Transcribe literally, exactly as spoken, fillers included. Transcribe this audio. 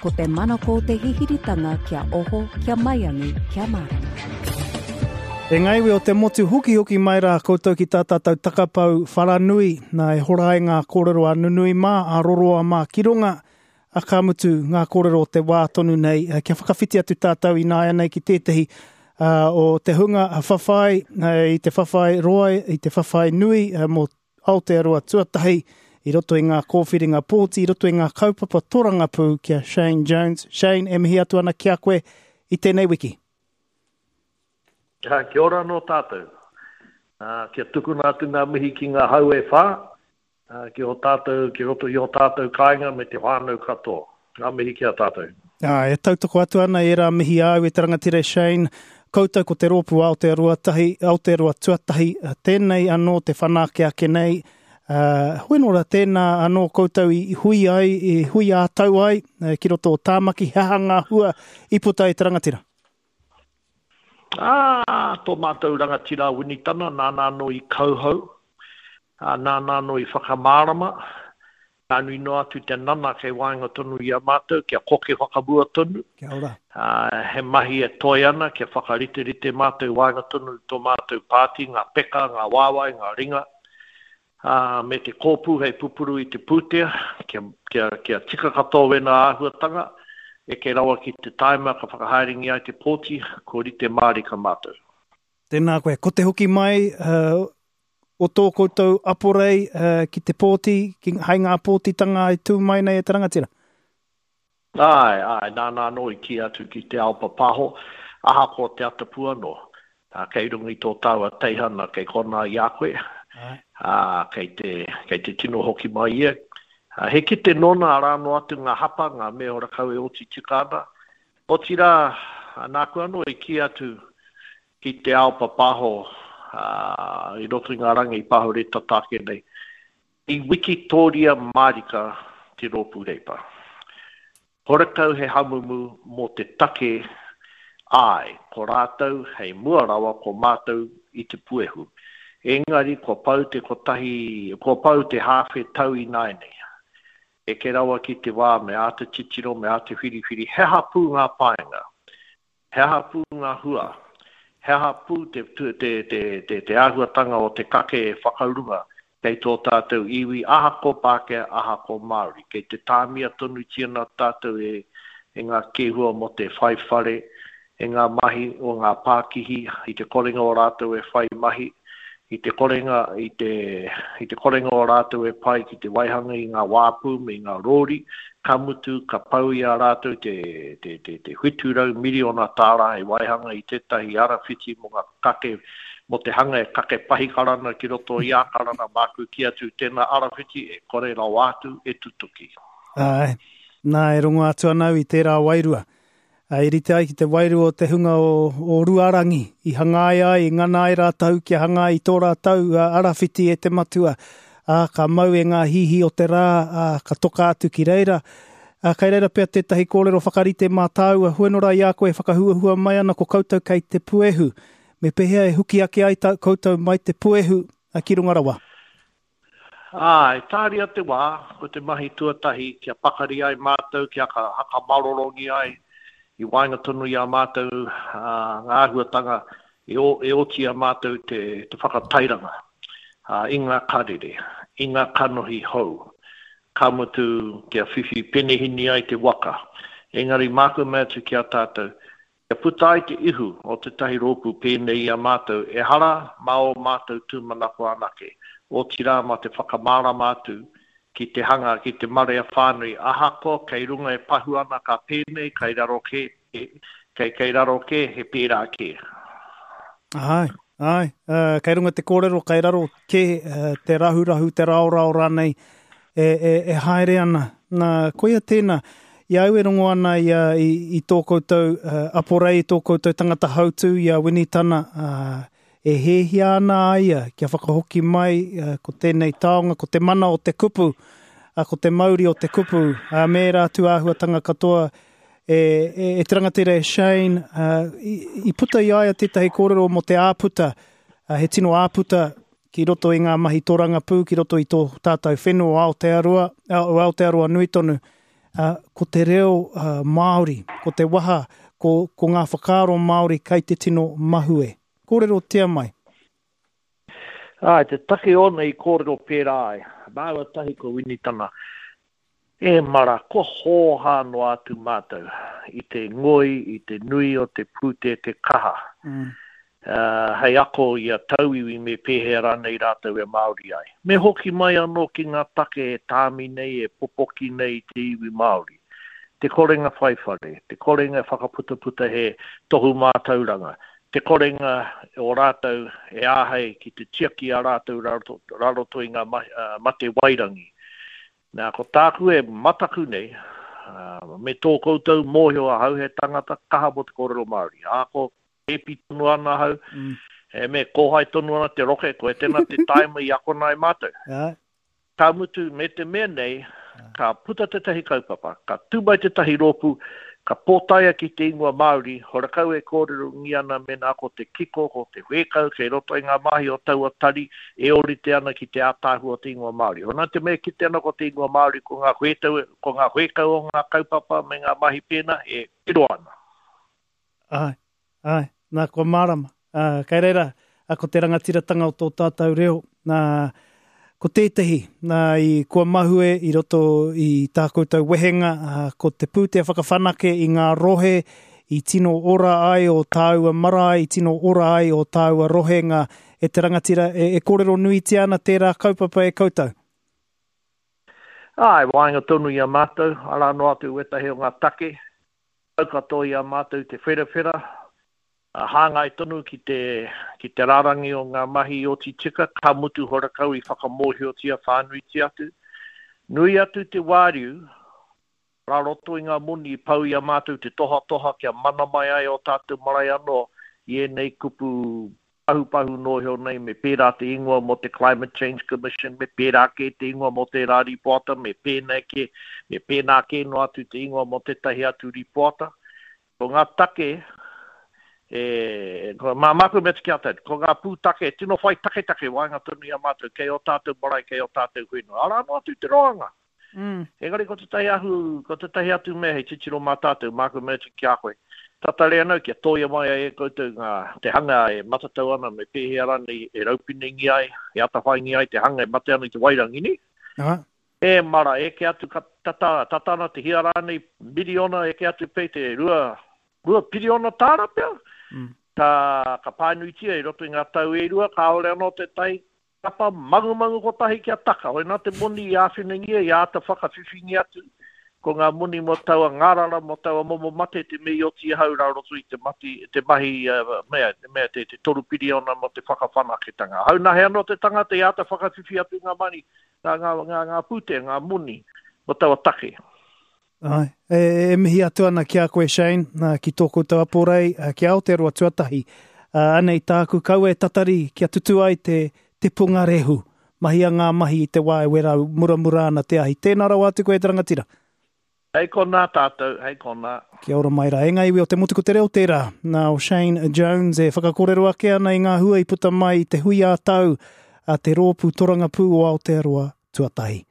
Ko te manako o te hihiritanga kia oho, kia maiangi, kia mārama. E ngā iwi o te motu hokihoki mai rā koutou ki tā tātou takapau wharanui, nā e hora ai ngā kōrero a nunui mā, a roroa mā ki runga, a ka mutu ngā kōrero o te wā tonu nei, kia whakawhiti atu tātou ināianei ki tētehi uh, o te hunga whawhai, uh, i te whawhai roa, i te whawhai nui uh, mō Aotearoa tuatahi, i roto i ngā kōwhiringa pōti, i roto i ngā kaupapa torangapū ki a Shane Jones. Shane, e mihi atu ana ki a koe i tēnei wiki. Kia ora anō tātou. Uh, kia tukuna atu ngā mihi ki ngā hau e whā, uh, ki o tātou, ki roto i o tātou kāinga me te whānau katoa. Ngā mihi ki a tātou. Ah, e tautoko atu ana e rā mihi āu e te rangatira Shane. Koutou ko te rōpū Aotearoa tahi, Aotearoa tuatahi, tēnei anō te whanake ake nei. Uh, hoi nō rā tēnā anō koutou i hui ai, i hui ā-tau ai, ki roto o Tāmaki, he aha ngā hua i puta i te rangatira? Ah, tō mātou rangatira Winitana, nāna anō i kauhau, ah, nāna anō i whakamārama, nā nui noa atu te nana kei waenga tonu i a mātou, kia koke whakamua tonu. Kia ora. Ah, he mahi e toe ana, kia whakariterite mātou waenga tonu i tō mātou pāti, ngā peka, ngā wāwae, ngā ringa, ah, me te kōpū hei pupuru i te pūtea, kia, kia, kia tika katoa wēnā āhuatanga, eke rawa ki te taima ka whakahaerengia ai te pōti, ko rite mārika mātou. Tēnā koe, ko te hoki mai uh, o tō koutou aporei uh, ki te pōti, ki, hai ngā pōtitanga e tū mai nei e te rangatira? Ai, ai, nāna anō i kī atu ki te ao papaho, ahakoa te atapu anō, uh, kei runga i tō tāua teihana kei konā i a koe, uh, kei te, kei te tino hoki mai ia. Uh, he kite nōna arā noa atu ngā hapa, ngā mea horakau e oti tika ana. Otirā, nāku anō i kī atu ki te ao papaho uh, i roto i ngā rangi i pahure tata ake nei. I wikitoria mārika te rōpū Reipa. Horakau he hamumu mō te take ai, ko rātou hei mua rawa ko mātou i te puehu. Engari kua pau te kotahi, kua pau te hāwhe tau ināianei. Eke rawa ki te wā me āta titiro, me āta whiriwhiri, he aha pū ngā painga, he aha pū ngā hua, he aha pū te, te, te, te, te, te āhuatanga o te kake e whakaurunga kei tō tātou iwi, ahako Pākehā, ahako Māori. Kei te tāmia tonutia nā tātou e, e ngā kēhua mō te whai whare, e ngā mahi o ngā pākihi, i te korenga o rātou e whai mahi, i te korenga, i te, i te korenga o rātou e pai ki te waihanga i ngā wāpū me ngā rōri, ka mutu, ka pau i a rātou te, te, te, te whitu rau miriona tāra e waihanga i tētahi arawhiti mō ngā kake, mō te hanga e kake pahikarana ki roto i Ākarana, māku ki atu tēnā arawhiti e kore rawa atu e tutuki. Ai, nā e rongo atu ana au i tērā wairua. I rite ai ki te wairua o te hunga o, o Ruarangi, i hangai ai, i ngana ai rātou kia hangai i tō rātou arawhiti e te matua, ā, ka mau e ngā hihi o te rā, ā, ka toka atu ki reira. Ā, kei reira pea tētahi kōrero whakarite mā tāua, huenora i a koe e whakahuahua mai ana ko koutou kei te puehu. Me pēhea e huki ake ai tā koutou mai te puehu ki runga rawa? Āe, tāria te wā, ko te mahi tuatahi kia pakari ai mātou, kia hakamarorogi ai i waenga tonu i a mātou uh, ngā āhuatanga e, o, e oti a mātou te, te whakatairanga uh, i ngā karere, i ngā kanohi hou. Ka mutu kia whiwhi penehini ai te waka. Engari māku mea atu ki a tātou, kia puta ai te ihu o tētahi rōpū pēnei i a mātou, ehara mā o mātou tūmanako anake, otirā mā te whakamārama atu ki te hanga, ki te marea whānui, ahakoa kei runga e pahu ana ka pēnei, kei raro kē, kei, kei raro kē, he pērā kē. Ai, ai, uh, kei runga te kōrero, kei raro kē, uh, te rahurahu, te raorao rānei, e, e, e haere ana. Nā, koia tēnā, i au e rongo ana i, a, i, i tō koutou uh, aporei, i tō koutou tangata hautū, i a Winitana, uh, e hēhia ana a ia kia whakahoki mai uh, ko tēnei taonga, ko te mana o te kupu, uh, ko te mauri o te kupu, uh, me ērā atu āhuatanga katoa e, e, e te rangatira e Shane, uh, i, i puta i a ia tētahi kōrero mō te āputa, uh, he tino āputa ki roto i ngā mahi torangapū, ki roto i tō tātou whenua o Aotearoa, o Aotearoa nui tonu. uh, ko te reo uh, Māori, ko te waha, ko, ko ngā whakaaro Māori kai te tino mahue. Kōrero tia mai. Ai, te take ona i kōrero pērā ai. Māua tahi ko Winitana. E mara, ko hōhā noa atu mātou i te ngoi, i te nui o te pūte te kaha. Mm. Uh, hei ako i a tauiwi me pēhea rānei rātou e Māori ai. Me hoki mai anō ki ngā take e tāmi nei, e popoki nei i te iwi Māori. Te korenga whaiwhare, te korenga whakaputaputa he tohu mātauranga, te korenga o rātou e āhei ki te tiaki a rātou raroto i ngā mate wairangi. Nā, ko tāku e mataku nei, uh, me tō koutou mōhio ahau he tangata kaha mo te kōrero Māori. Ā, ko epi tonu ana ahau, mm. e me kōhai tonu ana te roke, ko e tēnā te taima i akona e mātou. Yeah. Ka mutu me te mea nei, ka puta tētahi kaupapa, ka tū mai tētahi rōpū, ka pōtaia ki te ingoa Māori, horakau e kōrero ngi ana mēnā ko te kiko, ko te whēkau, kei roto i ngā mahi o taua tari, e orite ana ki te ātāhua o te ingoa Māori. Hona te mea kite ana ko te ingoa Māori, ko ngā whētau, ko ngā whēkau o ngā kaupapa me ngā mahi pēnā, e piro ana. Ai, ai, nā kua mārama. Uh, kei reira, ko te rangatiratanga o tō tātou reo, nā, ko tētahi, nā, i kua mahue i roto i tā koutou wehenga, ko te pūtea whakawhanake i ngā rohe i tino ora ai o tāua marae, i tino ora ai o tāua rohenga e te rangatira, e, e kōrero nuitia ana tērā kaupapa e koutou? Ai, waenga tonu i a mātou, arā noa atu wetahi o ngā take, au katoa i a mātou te wherawhera, hāngai tonu ki te, ki te rārangi o ngā mahi o tika, ka mutu horakau i whakamōhiotia whānuitia atu. Nui atu te wāriu, rā roto i ngā moni i pau i a mātou te tohatoha kia mana mai ai o tātou marae anō i ēnei kupu pahupahu nohio nei, me pērā te ingoa mō te Climate Change Commission, me pērā kē te ingoa mō te rā ripoata, me pēnā kē, me pēnā kē no atu te ingoa mō tētahi atu ripoata. Ko ngā take, e, ko, mā māku me te kia tau, ko ngā pūtake, tino whai taketake waenga tonu i a mātou, kei o tātou marae, kei o tātou whenua. Arā no atu te roanga. Mm. Engari ko tētahi ahu, ko tētahi atu mea hei titiro mā tātou, māku me te kia koe. Tatare anau kia tōia mai ai e koutou ngā, te hanga e matatau ana me pēhea rānei e raupinengi ai, e atawhaingi ai te hanga e mate ana i te wairangi ni. Aha. E mara, e ke atu ka tata, tata ana te hia rānei miriona, e ke atu pei te rua, rua piriona tāra pea. Mm. Ka, ka pānuitia i roto i ngā tau e rua, kāore anō te tai kapa mangumangu kotahi kia taka. Hoi nā te moni i āwhinangia, i āta whakawhiwhingi atu, ko ngā moni mō taua ngārara, mō taua momo mate te mei oti hau rā roto i te, mati, te mahi, uh, mea, mea, te, te toru piriona mō te whakawhanaketanga. Hau nahe anō te tangata i āta whakawhiwhi atu ngā mani, ngā, ngā, ngā, ngā pūtea, ngā moni mō taua take. Ai, e, e mihi atu ana ki a koe Shane, ki tō koutou aporei, ki Aotearoa tuatahi. Uh, anei tāku kaua e tatari kia tutu ai te, te pungarehu. Mahia ngā mahi i te wā e wera muramura ana te ahi. Tēnā rawa atu koe te rangatira. Hei konā tātou, hei konā. Kia ora mai rā. E ngā iwi o te motu ko te reo tērā. Nā o Shane Jones e whakakorero ake ana i ngā hua i puta mai i te hui ā tau a te rōpū torangapū o Aotearoa tuatahi.